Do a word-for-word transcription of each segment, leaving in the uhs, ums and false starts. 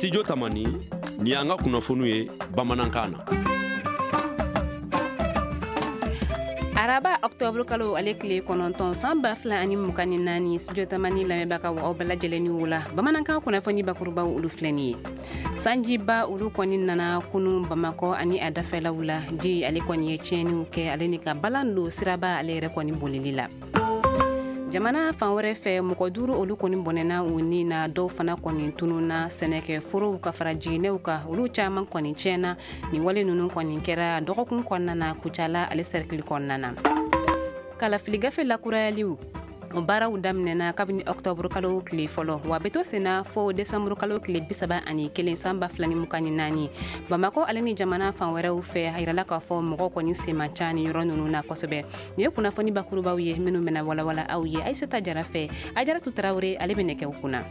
Studio Tamani, ni y'an ka kunnafoniw ye bamanankan na. Araba octobre kalo ale tile kɔnɔntɔn san ba fila ani mugan ni naani, Studio Tamani lamɛnbagaw, aw bɛɛ lajɛlen ni wula. Bamanankan kunnafoni bakurubaw, olu filɛ nin ye. Sanjiba olu kɔni nana kunun Bamakɔ ani a dafɛlaw la. Ji ale kɔni ye tiɲɛniw kɛ, ale ni ka balan don siraba ale yɛrɛ kɔni bolili la. Jamana fan wɛrɛ fɛ, mɔgɔ duuru olu kɔni bɔnɛna u ni na, dɔw fana kɔni tununna. Sɛnɛkɛ forow ka fara jiginɛw kan, olu caman kɔni tiɲɛna. Nin wale ninnu kɔni kɛra dɔgɔkun kɔnɔna na, Kucala ale sɛrikili kɔnɔna na. Kalafili gafe lakurayaliw, o baaraw daminɛna kabini octobre kalo tile fɔlɔ, wa bɛ to senna fo décembre kalo tile bisaba ani kelen san ba fila ni mugan ni naani. Bamakɔ ale ni jamana fan wɛrɛw fɛ, a yirala k'a fɔ mɔgɔw kɔni sen man ca ni yɔrɔ ninnu na kosɛbɛ. Nin ye kunnafoni bakurubaw ye minnu bɛna walawala aw ye Ayisata Jara fɛ. Ajaratu Tarawele ale bɛ nɛgɛw kunna.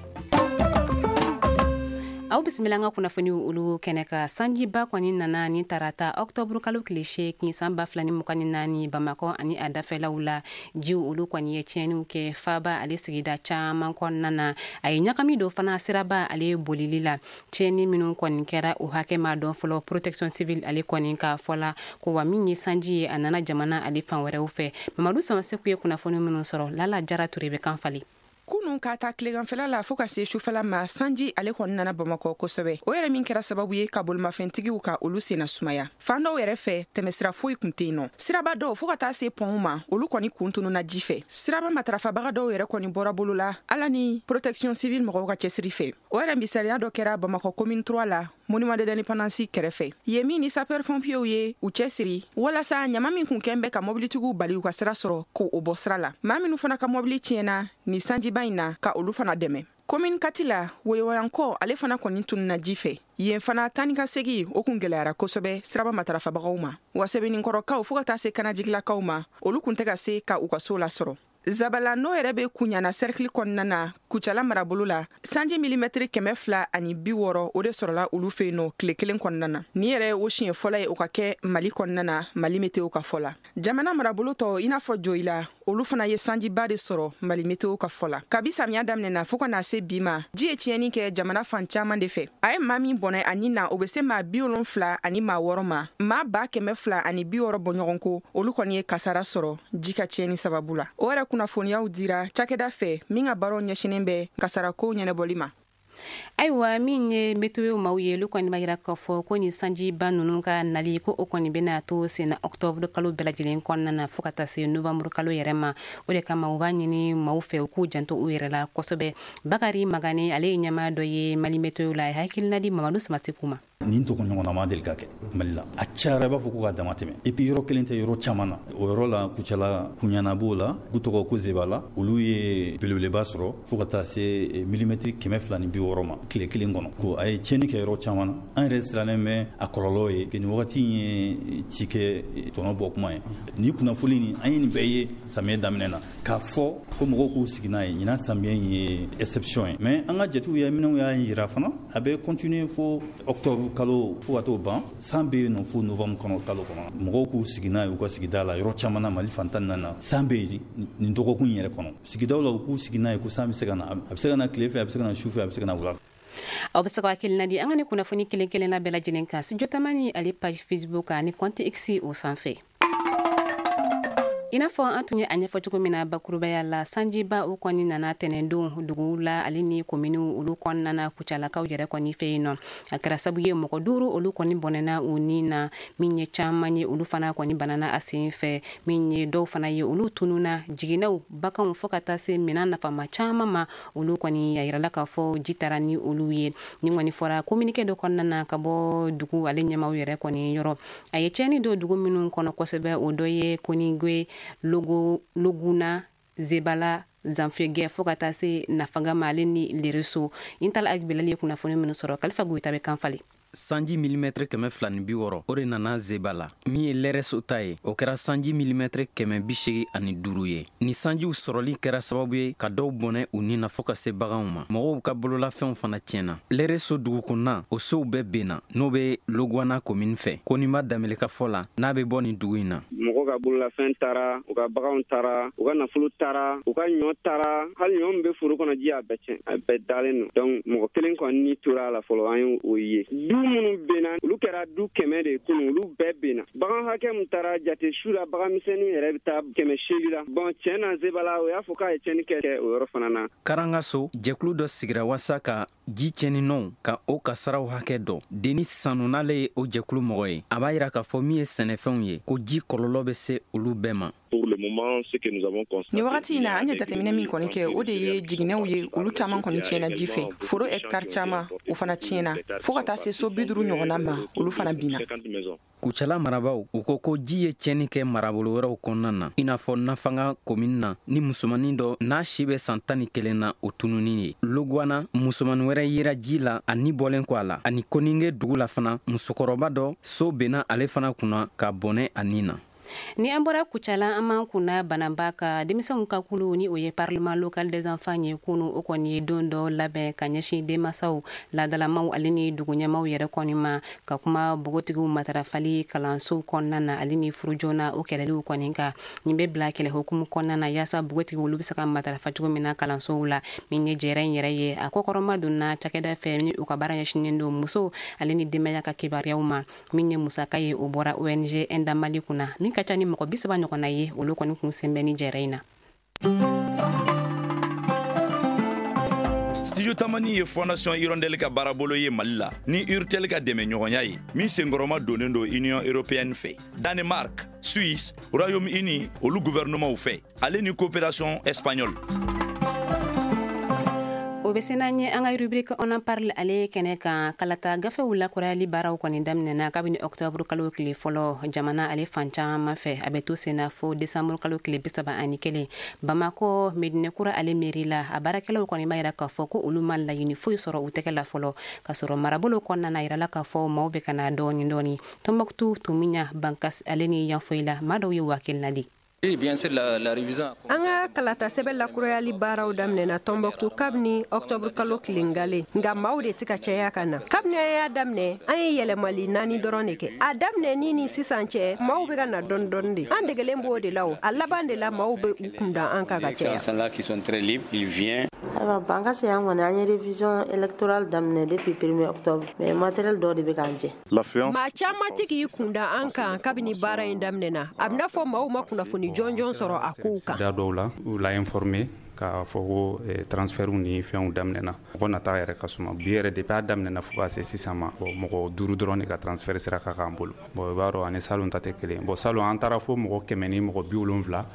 Aw bisimila an ka kunnafoniw olu kɛnɛ kan. Sanjiba kɔni nana ni tarata octobre kalo tile seegin san ba fila ni mugan ni naani Bamakɔ ani a dafɛlaw la. Jiw olu kɔni ye tiɲɛniw kɛ faaba ale sigida caman kɔnɔna na. A ye ɲagami don fana siraba ale bolili la. Tiɲɛni minnu kɔni kɛra, o hakɛ ma dɔn fɔlɔ. Protection civile ale kɔni ka fɔ la ko wa min ye sanji ye, a nana jamana ale fan wɛrɛw fɛ. Mamadu Samaseku ye kunnafoni minnu sɔrɔ, Lala Jara Ture bɛ kan falen. Kunun ka ta tileganfɛla la fɔɔ ka se sufɛla ma, sanji ale kɔni nana Bamakɔ kosɛbɛ. O yɛrɛ min kɛra sababu ye ka bolimafɛntigiw ka olu senna sumaya. Fan dɔw yɛrɛ fɛ, tɛmɛsira foyi kun tɛ yen nɔ. Siraba dɔw fɔɔ ka taa se pɔnw ma, olu kɔni kun tununa ji fɛ. Siraba matarafabaga dɔw yɛrɛ kɔni bɔra bolo la, ala ni Protection civile mɔgɔw ka cɛsiri fɛ. O yɛrɛ misaliya dɔ kɛra Bamakɔ Commune trois la, Monument de l'Indépendance kɛrɛfɛ yen, min ni sapeur pompiers ye u cɛsiri walasa ɲama min kun kɛn bɛ ka mobilitigiw bali u ka sira sɔrɔ, ko o bɔ sira la. Maa minnu fana ka mobili tiɲɛna ni sanjiba in na, ka olu fana dɛmɛ. Commune quatre la, Woyowayankɔ ale fana kɔni tununa ji fɛ. Yen fana, tani ka segi o kun gwɛlɛyara kosɛbɛ siraba matarafabagaw ma. Wa Sɛbɛnninkɔrɔkaw fɔɔ ka taa se Kanajigilakaw ma, olu kun tɛ ka se ka u ka so lasɔrɔ. Zabala, n'o yɛrɛ bɛ Kuɲana sɛrikili kɔnɔna na, Kucala marabolo la, sanji milimɛtiri kɛmɛ fila ani bi wɔɔrɔ, o de sɔrɔla olu fɛ yen nɔ tile kelen kɔnɔna na. Nin yɛrɛ o siɲɛ fɔlɔ ye o ka kɛ Mali kɔnɔna na, Mali Météo ka fɔ la. Jamana marabolo tɔ, i n'a fɔ Joyila, olu fana ye sanjiba de sɔrɔ, Mali Météo ka fɔ la. Kabi samiya daminɛna fɔɔ ka na se bi ma, ji ye tiɲɛni kɛ jamana fan caaman de fɛ. A ye maa min bɔnɛ a nin na, o be se maa bi wolonfila ani maa wɔɔrɔ ma. Maa ba kɛmɛ fila ani bi wɔɔrɔ bɔɲɔgɔn ko, olu kɔni ye kasara sɔrɔ ji ka tiɲɛni sababu la. O yɛrɛ kunnafoniyaw dira cakɛda fɛ min ka baaraw ɲɛsinen bɛ kasarako ɲɛnɛbɔli ma. Ayiwa, min ye météo maaw ye, olu kɔni b'a yira k'a fɔ ko nin sanjiba ninnu ka nali, ko o kɔni bɛna to senna octobre kalo bɛɛ lajɛlen kɔnɔna na fɔɔ ka taa se novembre kalo yɛrɛ ma. O de kama u b'a ɲini maaw fɛ u k'u janto u yɛrɛ la kosɛbɛ. Bakari Magane, ale ye ɲɛmaa dɔ ye Mali Météo la, a ye hakilina di Mamadu Samaseku ma. Nin tɔgɔ ɲɔgɔnna ma deli ka kɛ Mali la. A cayara, i b'a fɔ ko ka dama tɛmɛ. Et puis yɔrɔ kelen tɛ, yɔrɔ caman na. O yɔrɔ la, Kucala, Kuɲana b'o la, k'u tɔgɔ ko Zebala, olu ye belebeleba sɔrɔ fo ka taa se milimɛtiri kɛmɛ fila ni bi wɔɔrɔ ma tile kelen kɔnɔ. Ko a ye tiɲɛni kɛ yɔrɔ caman na. An yɛrɛ sirannen bɛ a kɔlɔlɔ ye. Nin wagati ye ci kɛ tɔnɔ bɔ kuma ye. Nin kunnafoni nin, an ye nin bɛɛ ye samiyɛ daminɛ na, k'a fɔ ko mɔgɔw k'u sigi n'a ye, ɲinan samiyɛ ye exception ye. Mais an ka jatew ye minnu y'a yira fana, a bɛ continuer fo octobre kalo, fo ka t'o ban. San bɛ yen nɔ fo novembre kɔnɔ, kalo kɔnɔ. Mɔgɔw k'u sigi n'a ye u ka sigida la. Yɔrɔ caman na, Mali fan tan ni naani na, san bɛ yen nin dɔgɔkun yɛrɛ kɔnɔ. Sigidaw la, u k'u sigi n'a ye ko san bɛ se ka na. A bɛ se ka na tile fɛ, a bɛ se ka na su fɛ, a bɛ se ka na wula. Aw bɛ se ka hakilina di an ka ni kunnafoni kelen kelenna bɛɛ lajɛlen kan Studio Tamani ale page Facebook ani compte X o sanfɛ. I n'a fɔ an tun ye a ɲɛfɔ cogo min na bakurubaya la, sanjiba o kɔni nana tɛnɛndon duguw la ale ni kominiw olu kɔnɔna na, Kucalakaw yɛrɛ kɔni fɛ yen nɔ. A kɛra sabu ye mɔgɔ duuru olu kɔni bɔnɛna u ni na, min ye caman ye olu fana kɔni banana a sen fɛ, min ye dɔw fana ye olu tununa. Jiginɛw, baganw, fɔɔ ka taa se minan nafama caman ma, olu kɔni a yirala k'a fɔ ji taara ni olu ye. Ni kɔni fɔra communiqué dɔ kɔnɔna na ka bɔ dugu ale ɲɛmaw yɛrɛ kɔni yɔrɔ. A ye tiɲɛni don dugu minnu kɔnɔ kosɛbɛ, o dɔ ye Konigwe, Logo, Loguna, Zebala, Zanfegɛ, fɔɔ ka taa se Nafaga ma, ale ni Lereso. Intala Agbilali ye kunnafoni minnu sɔrɔ, Kalifa Goyita bɛ kan falen. Sanji milimɛtɛrɛ kɛmɛ fila ni bi wɔɔrɔ o de nana Zeba la. Min ye Lɛrɛso ta ye, o kɛra sanji milimɛtɛrɛ kɛmɛ bi seegin ani duuru ye. Ni sanjiw sɔrɔli kɛra sababu ye ka dɔw bɔnɛ u ni na fo ka se baganw ma. Mɔgɔw ka bololafɛnw fana tiɲɛna. Lɛrɛso dugu kɔnɔna, o sow bɛɛ benna, n'o bɛ Logwana komini fɛ. Koninba Danbele ka fɔ la, n'a bɛ bɔ nin dugu in na. Mɔgɔw ka bololafɛn taara, u ka baganw taara, u ka nafolo taara, u ka ɲɔ taara, hali ɲɔ min bɛ foro kɔnɔ ji y'a bɛɛ tiɲɛ, a bɛɛ dalen don. Donc mɔgɔ kelen kɔni ni tora a la fɔlɔ, an y'o ye. Du minnu benna, olu kɛra du kɛmɛ de kunun, olu bɛɛ benna. Bagan hakɛ min taara jate su la, bagan misɛnnin yɛrɛ bɛ taa kɛmɛ seegin la. Bon tiɲɛ na Zebala, o y'a fɔ k'a ye tiɲɛni kɛ o yɔrɔ fana na. Karangaso jɛkulu dɔ sigira walasa ka ji tiɲɛninɔw ka o kasaraw hakɛ dɔn. Denis Sanu n'ale ye o jɛkulu mɔgɔ ye, a b'a yira k'a fɔ min ye sɛnɛfɛnw ye, ko ji kɔlɔlɔ bɛ se olu bɛɛ ma. Nin wagati in na, an ye jateminɛ min kɔni kɛ, o de ye jiginɛw ye, olu caman kɔni tiɲɛna ji fɛ. Foro hectare caman, o fana tiɲɛna, fo ka taa se so bi duuru ɲɔgɔnna ma, olu fana binna. Kucala marabaw u ko ko ji ye tiɲɛni kɛ marabolo wɛrɛw kɔnɔna na, i n'a fɔ Nafanga komini na, ni musomanin dɔ n'a si bɛ san tan ni kelen na, o tununi ye. Logwana, musomanin wɛrɛ yera ji la a ni bɔlen kɔ a la. Ani Koninge dugu la fana, musokɔrɔba dɔ so benna ale fana kunna ka bɔnɛ a ni na. Ni an bɔra Kucala, an m'an kunna Bananba ka denmisɛnw ka kulu ni o ye Parlement local des enfants ye kunu, o kɔni ye don dɔ labɛn ka ɲɛsin denmansaw, laadalamaw ale ni duguɲɛmaw yɛrɛ kɔni ma, ka kuma npogotigiw matarafali kalansow kɔnɔna na ale ni furu joona o kɛlɛliw kɔni kan. Nin bɛ bila kɛlɛ hukumu kɔnɔna na yaasa npogotigiw olu bɛ se ka matarafa cogo min na kalansow la. Min ye jɛrɛ in yɛrɛ ye, a kɔkɔrɔma donna cakɛda fɛ ni u ka baara ɲɛsinnen don musow ale ni denbaya ka kibaruyaw ma. Min ye musaka ye, o bɔra O N G Enda Mali kunna, min ka ca ni mɔgɔ bi saba ɲɔgɔnna ye, olu kɔni kun sen bɛ ni jɛrɛ in na. Studio Tamani ye Fondation Hirondelle ka baarabolo ye Mali la ni Urtel ka dɛmɛɲɔgɔnya ye, min senkɔrɔma donnen don Union européenne fɛ, Danemark, Suisse, Royaume-Uni olu gouvernementw fɛ, ale ni coopération espagnole. O bɛ se n'an ye an ka rubrique on en parle ale kɛnɛ kan. Kalata gafew lakurayali baaraw kɔni daminɛna kabini octobre kalo tile fɔlɔ jamana ale fan caman fɛ. A bɛ to senna fo décembre kalo tile bi saba ani kelen. Bamakɔ Medinekura ale mairie la, a baarakɛlaw kɔni b'a yira k'a fɔ ko olu ma laɲini foyi sɔrɔ u tɛgɛ la fɔlɔ, k'a sɔrɔ marabolo kɔnɔna na yirala k'a fɔ maaw bɛ ka na dɔɔni dɔɔni. Tombouctou, Tumina, Bankas ale ni Yanfoyila, maa dɔw ye waa kelen na di. An ka kalata sɛbɛn lakurayali baaraw daminɛna Tombouctou kabini octobre kalo tilengale, nka maaw de tɛ ka caya ka na. Kabini an y'a daminɛ, an ye yɛlɛmali naani dɔrɔn de kɛ. A daminɛ ni ni sisan cɛ, maaw bɛ ka na dɔɔni dɔɔni de. An degelen b'o de la o. A laban de la, maaw bɛ u kunda an kan ka caya. Ayiwa, Bankasi an kɔni an ye révision électorale daminɛ depuis premier octobre, mais matériel dɔw de bɛ k'an jɛ. Maa caman tɛ k'i kunda an kan kabini baara in daminɛna. A bɛna fɔ maaw ma kunnafoni jɔnjɔn sɔrɔ a kow kan. Da dɔw la, u la informé k'a fɔ ko transfertw ni fɛnw daminɛna. Mɔgɔ nata yɛrɛ ka suma bi yɛrɛ depuis a daminɛna fo ka se sisan ma, bon mɔgɔ duuru dɔrɔn de ka transfert sera ka k'an bolo. Bon i b'a dɔn ani salon ta tɛ kelen. Bon salon an taara fo mɔgɔ kɛmɛ ni mɔgɔ bi wolonwula.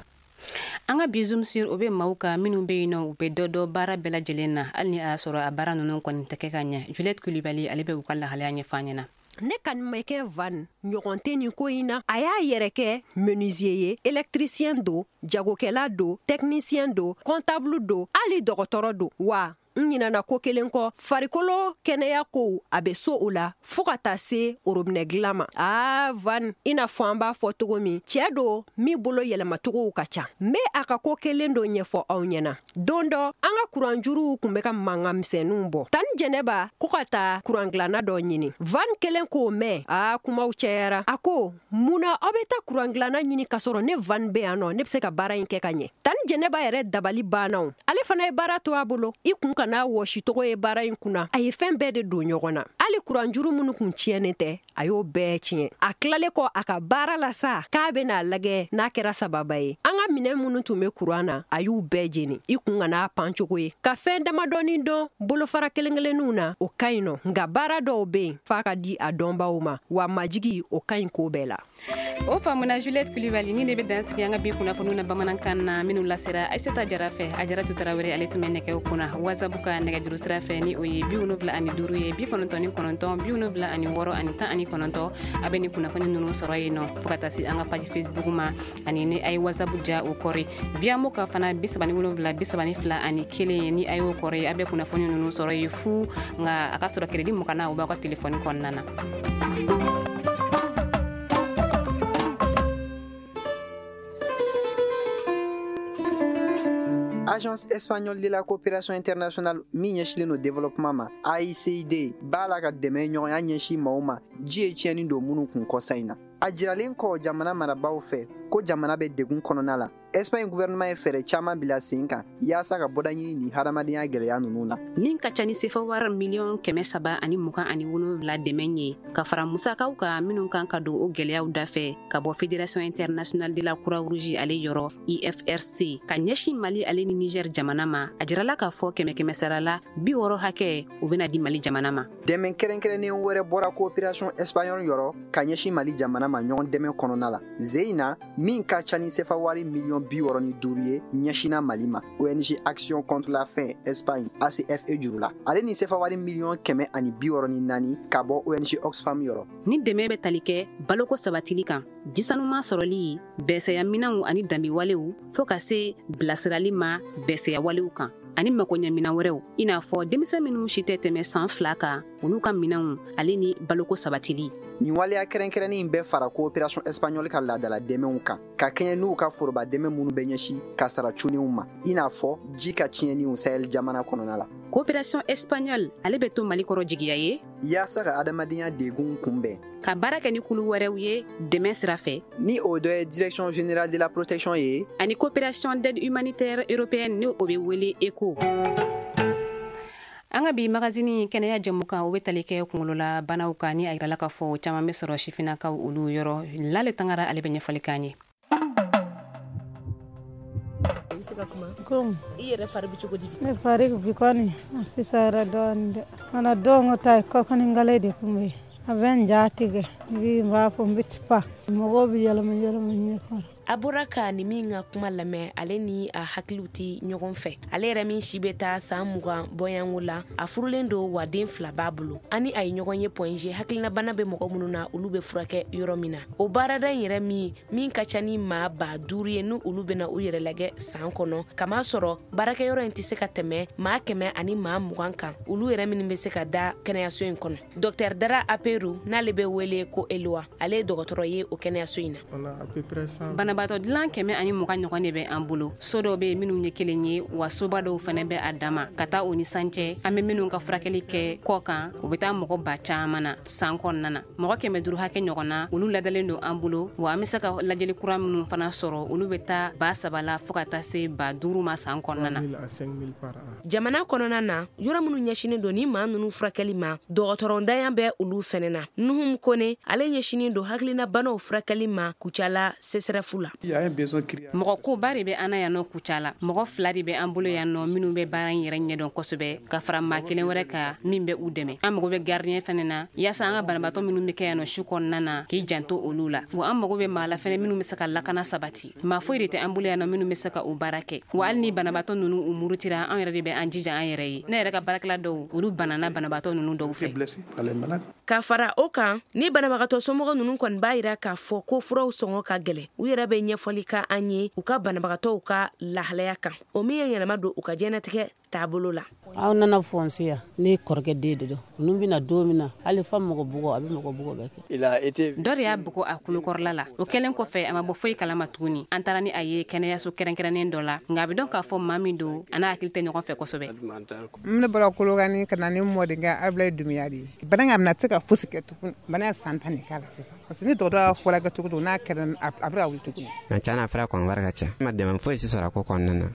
An ka bi zoom sur o bɛ maaw kan minnu bɛ yen nɔ, u bɛ dɔ dɔ baara bɛɛ lajɛlen na, hali ni a y'a sɔrɔ a baara ninnu kɔni tɛ kɛ ka ɲɛ. Juliette Kulibali ale bɛ u ka lahalaya ɲɛfɔ an ɲɛna. Ne kanumɛkɛ Van ɲɔgɔn tɛ nin ko in na. A y'a yɛrɛ kɛ menuisier ye, électricien don, jagokɛla don, technicien don, comptable don, hali dɔgɔtɔrɔ don. Wa n ɲinana ko kelen kɔ, farikolo kɛnɛya kow a bɛ so o la fo ka taa se orobinɛ dilan ma. Aa Van, i n'a fɔ an b'a fɔ cogo min, cɛɛ don min bolo yɛlɛmacogow ka ca. N bɛ a ka ko kelen dɔ ɲɛfɔ aw ɲɛna. Don dɔ, an ka kuranjuruw kun bɛ ka mankan misɛnninw bɔ. Tani Jɛnɛba ko ka taa kurangilanna dɔ ɲini. Van kelen k'o mɛn, aa kumaw cayara. A ko, mun na aw bɛ taa kurangilanna ɲini k'a sɔrɔ ne Van bɛ yan nɔ, ne bɛ se ka baara in kɛ ka ɲɛ. Tani Jɛnɛba yɛrɛ dabali banna o. Ale fana ye baara to a bolo. I kun ka n'a wɔsi tɔgɔ ye baara in kunna. A ye fɛn bɛɛ de don ɲɔgɔn na. Hali kuranjuru minnu kun tiɲɛnen tɛ, a y'o bɛɛ tiɲɛ. A tilalen kɔ a ka baara la sa, k'a bɛna lajɛ n'a kɛra sababa ye. An ka minɛn minnu tun bɛ kuran na, a y'u bɛɛ jeni. I kun ka n'a pan cogo ye. Ka fɛn damadɔni dɔn bolofara kelen kelenninw na, o ka ɲi nɔ. Nka baara dɔw bɛ yen f'a ka di a dɔnbaw ma, wa majigi o ka ɲi ko bɛɛ la. O faamuna Juliette Kulibali, ni de bɛ dan sigi an ka bi kunnafoniw na bamanankan na minnu lasera Aissata Jara fɛ. Ajaratu Tarawele ale tun bɛ nɛgɛw kunna. WhatsApp ka nɛgɛjuru sira fɛ ni o ye bi wolonwula ani duuru ye, bi kɔnɔntɔn ni kɔnɔntɔn, bi wolonwula ani wɔɔrɔ ani tan ani kɔnɔntɔn. A bɛ nin kunnafoni ninnu sɔrɔ yen nɔ fo ka taa se an ka page Facebook ma, ani ni a ye WhatsApp ja o kɔri. Viamo ka fana bi saba ni wolonwula bi saba ni fila ani kelen, ni a y'o kɔri a bɛ kunnafoni ninnu sɔrɔ ye fu, nka a ka sɔrɔ crédit mugan na o b'aw ka telefɔni kɔnɔna na. Agence espagnole de la coopération internationale min ɲɛsilen don développement ma, A I C I D, b'a la ka dɛmɛ ɲɔgɔnya ɲɛsin maaw ma ji ye tiɲɛni don minnu kun kɔsa in na. A jiralen kɔ jamana marabaaw fɛ ko jamana bɛ degun kɔnɔna la, Espagne gouvernement ye fɛɛrɛ caman bila sen kan yaasa ka bɔda ɲini ni hadamadenya gɛlɛya ninnu na. Min ka ca ni sefa wari miliyɔn kɛmɛ saba ani mugan ani wolonwula dɛmɛ ye ka fara musakaw kan minnu kan ka don o gɛlɛyaw dafɛ ka bɔ Fédération internationale de la Croix-Rouge ale yɔrɔ I F R C ka ɲɛsin Mali ale ni Niger jamana ma. A jirala k'a fɔ kɛmɛ kɛmɛ sara la bi wɔɔrɔ hakɛ o bɛna di Mali jamana ma. Dɛmɛ kɛrɛnkɛrɛnnen wɛrɛ bɔra coopération espagnole yɔrɔ ka ɲɛsin Mali jamana ma ɲɔgɔn dɛmɛ kɔnɔna la. Zeina min ka ca ni sefa wari miliyɔn bi wɔɔrɔ ni duuru ye ɲɛsinna Mali ma O N G Action contre la faim Espagne A C F E juru la, ale ni sefa wari miliyɔn kɛmɛ ani bi wɔɔrɔ ni naani ka bɔ O N G Oxfam yɔrɔ. Ni dɛmɛ bɛ tali kɛ baloko sabatili kan, jisanuman sɔrɔli, bɛsɛyaminɛnw ani danbewalew fo ka se bilasirali ma bɛsɛyawalew kan ani makoɲɛminɛn wɛrɛw, i n'a fɔ denmisɛn minnu si tɛ tɛmɛ san fila kan olu ka minɛnw ale ni baloko sabatili. Nin waleya kɛrɛnkɛrɛnnen in bɛ fara coopération espagnole ka laadala dɛmɛw kan ka kɛɲɛ n'u ka foroba dɛmɛ minnu bɛ ɲɛsin ka sara cunenw ma, i n'a fɔ ji ka tiɲɛniw Sahel jamana kɔnɔna la. Coopération espagnole ale bɛ to Mali kɔrɔ jigiya ye yaasa ka adamadenya degun kunbɛn, ka baara kɛ ni kulu wɛrɛw ye dɛmɛ sira fɛ, ni o dɔ ye Direction générale de la protection ye ani coopération d'aide humanitaire européenne ni o bɛ wele ECHO. An ka bi magazini kɛnɛya jɛmukan o bɛ tali kɛ kunkolola banaw kan, ni a yirala k'a fɔ caman bɛ sɔrɔ sifinnakaw olu yɔrɔ. Lale Tangara ale bɛ ɲɛfɔli k'an ye. I bɛ se ka kuma? Komi i yɛrɛ fari bɛ cogo di? Ne fari bi kɔni a fisayara dɔɔnin dɛ. Kana don ta kɔkɔni gale de kun bɛ yen. A bɛ n ja tigɛ, n b'i b'a fɔ n bɛ pa mɔgɔw bɛ yɛlɛma yɛlɛma ɲɛ kɔrɔ. A bɔra ka ni min ka kuma lamɛn, ale ni a hakiliw tɛ ɲɔgɔn fɛ. Ale yɛrɛ min si bɛ taa san mugan bɔyanko la, a furulen don wa den fila b'a bolo. Ani a ye ɲɔgɔn ye Point G, hakilinabana bɛ mɔgɔ minnu na olu bɛ furakɛ yɔrɔ min na. O baarada in yɛrɛ min min ka ca ni maa ba duuru ye, ni olu bɛna u yɛrɛ lajɛ san kɔnɔ, kama sɔrɔ baarakɛyɔrɔ in tɛ se ka tɛmɛ maa kɛmɛ ani maa mugan kan, olu yɛrɛ minnu bɛ se ka da kɛnɛyaso in kɔnɔ. Docteur Dara Aperu, n'ale bɛ wele ko Eloa, ale ye dɔgɔtɔrɔ ye o kɛnɛyaso in na. Banabaatɔ dilan kɛmɛ ani mugan ɲɔgɔn de bɛ an bolo. So dɔw bɛ yen minnu ye kelen ye, wa soba dɔw fana bɛ a dama ka taa o ni san cɛ. An bɛ minnu ka furakɛli kɛ kɔ kan, u bɛ taa mɔgɔ ba caman na san kɔnɔna na. Mɔgɔ kɛmɛ duuru hakɛ ɲɔgɔn na olu ladalen don an bolo, wa an bɛ se ka lajɛli kura minnu fana sɔrɔ olu bɛ taa ba saba la fo ka taa se ba duuru ma san kɔnɔna na. Jamana kɔnɔna na, yɔrɔ minnu ɲɛsinnen don ni maa ninnu furakɛli ma, dɔgɔtɔrɔntanya bɛ olu fɛnɛ na. Nuhum Kone, ale ɲɛsinnen don hakilinabanaw furakɛli ma Kucala C S R F la. Mɔgɔ koba de bɛ an na yan nɔ Kucala. Mɔgɔ fila de bɛ an bolo yan nɔ minnu bɛ baara in yɛrɛ ɲɛdɔn kosɛbɛ, ka fara maa kelen wɛrɛ kan min bɛ u dɛmɛ. An mago bɛ gardien fɛnɛ na yaasa an ka banabaatɔ minnu bɛ kɛ yan nɔ su kɔnɔna na k'i janto olu la. Wa an mago bɛ maa la fɛnɛ minnu bɛ se ka lakana sabati. Maa foyi de tɛ an bolo yan nɔ minnu bɛ se ka o baara kɛ. Wa hali ni banabaatɔ ninnu u murutira, an yɛrɛ de bɛ an jija an yɛrɛ ye. Ne yɛrɛ ka baarakɛla dɔw olu banana banabaatɔ ninnu dɔw fɛ. Ka fara o kan, ni banabagatɔ somɔgɔ ninnu kɔni b'a yira k'a fɔ ko furaw sɔngɔ ka gɛlɛn, u yɛrɛ bɛ ɲɛfɔli ka an ye u ka banabagatɔw ka lahalaya kan, o min ye yɛlɛma don u ka diɲɛnatigɛ taabolo la. Aw nana fɔnse yan, ne kɔrɔkɛ den de don. Ninnu bɛna don min na, hali fa mɔgɔ bugɔ, a bɛ mɔgɔ bugɔ bɛɛ kɛ. Dɔ de y'a bugɔ a kulokɔrɔla la. O kɛlen kɔfɛ, a ma bɔ foyi kalama tuguni. An taara ni a ye kɛnɛyaso kɛrɛnkɛrɛnnen dɔ la, nka a bɛ dɔn k'a fɔ maa min don, a n'a hakili tɛ ɲɔgɔn fɛ kosɛbɛ. Ne bɔra Kolokani ka na ni mɔdenkɛ Abulaye Dunbiya de ye. Bana in a bɛna se ka fosi kɛ tuguni. Bana ye san tan de k'a la sisan. Parce que ni dɔgɔtɔrɔ y'a furakɛ cogo o cogo, n'a kɛra a bɛ ka wuli tuguni. Nka tiɲɛ na, a fura kɔni wari ka ca. Ne ma dɛmɛ foyi si sɔrɔ a ko kɔnɔna na.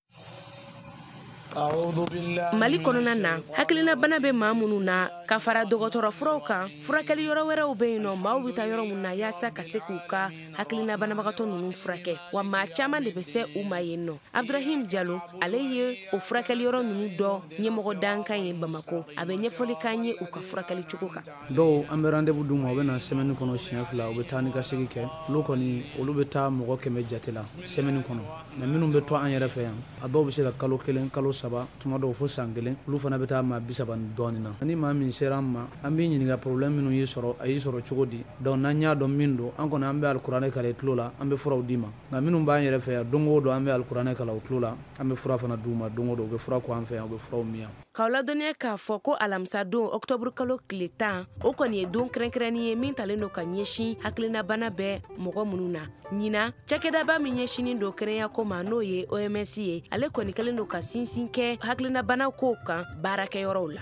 Mali kɔnɔna na, hakilinabana bɛ maa minnu na, ka fara dɔgɔtɔrɔ furaw kan, furakɛli yɔrɔ wɛrɛw bɛ yen nɔ maaw bɛ taa yɔrɔ min na yaasa ka se k'u ka hakilina banabagatɔ ninnu furakɛ, wa maa caman de bɛ se u ma yen nɔ. Abdurahim Jalo, ale ye o furakɛli yɔrɔ ninnu dɔ ɲɛmɔgɔ dankan ye Bamakɔ. A bɛ ɲɛfɔli k'an ye u ka furakɛli cogo kan. Dɔw an bɛ rendez-vous d'u ma, u bɛ na semaine kɔnɔ siɲɛ fila, u bɛ taa ni ka segin kɛ. Olu kɔni olu bɛ taa mɔgɔ kɛmɛ jate la semaine kɔnɔ. Mais minnu bɛ to an yɛrɛ fɛ yan, a dɔw bɛ se ka kalo kelen, kalo saba, tuma dɔw fo san kelen, olu fana bɛ taa maa bi saba ni dɔɔnin na. Ni maa min sera an ma, an b'i ɲininka problème minnu y'i sɔrɔ, a y'i sɔrɔ cogo di. Donc n'an y'a dɔn min don, an kɔni an bɛ alikuranɛ kalan i tulo la, an bɛ furaw d'i ma. Nka minnu b'an yɛrɛ fɛ yan, don o don an bɛ alikuranɛ kalan u tulo la, an bɛ fura fana d'u ma don o don, u bɛ fura ko an fɛ yan, u bɛ furaw min yan. K'aw ladɔnniya k'a fɔ ko alamisa don ɔkutɔburu kalo tile tan, o kɔni ye don kɛrɛnkɛrɛnnin ye min talen don ka ɲɛsin hakilinabana bɛ mɔgɔ minnu na. Ɲinan, cakɛdaba min ɲɛsinnen don kɛnɛyako ma, n'o ye O M S ye, ale kɔni kɛlen don ka sinsin kɛ hakilinabana kow kan baarakɛyɔrɔw la.